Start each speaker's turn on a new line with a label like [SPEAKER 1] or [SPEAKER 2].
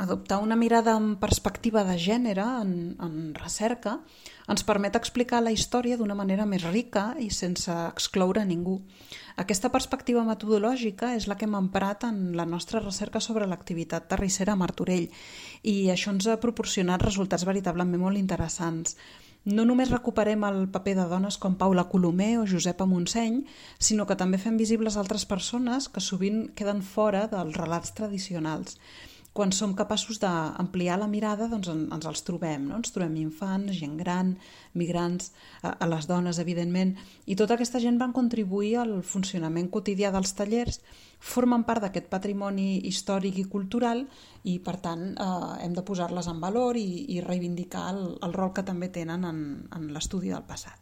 [SPEAKER 1] Adoptar una mirada en perspectiva de gènere, en recerca, ens permet explicar la història d'una manera més rica i sense excloure ningú. Aquesta perspectiva metodològica és la que hem emprat en la nostra recerca sobre l'activitat terrissera a Martorell i això ens ha proporcionat resultats veritablement molt interessants. No només recuperem el paper de dones com Paula Colomer o Josepa Montseny, sinó que també fem visibles altres persones que sovint queden fora dels relats tradicionals. Quan som capaços d'ampliar la mirada, doncs ens els trobem, no? Ens trobem infants, gent gran, migrants, a les dones, evidentment, i tota aquesta gent van contribuir al funcionament quotidià dels tallers, formen part d'aquest patrimoni històric i cultural i, per tant, hem de posar-les en valor i reivindicar el rol que també tenen en l'estudi del passat.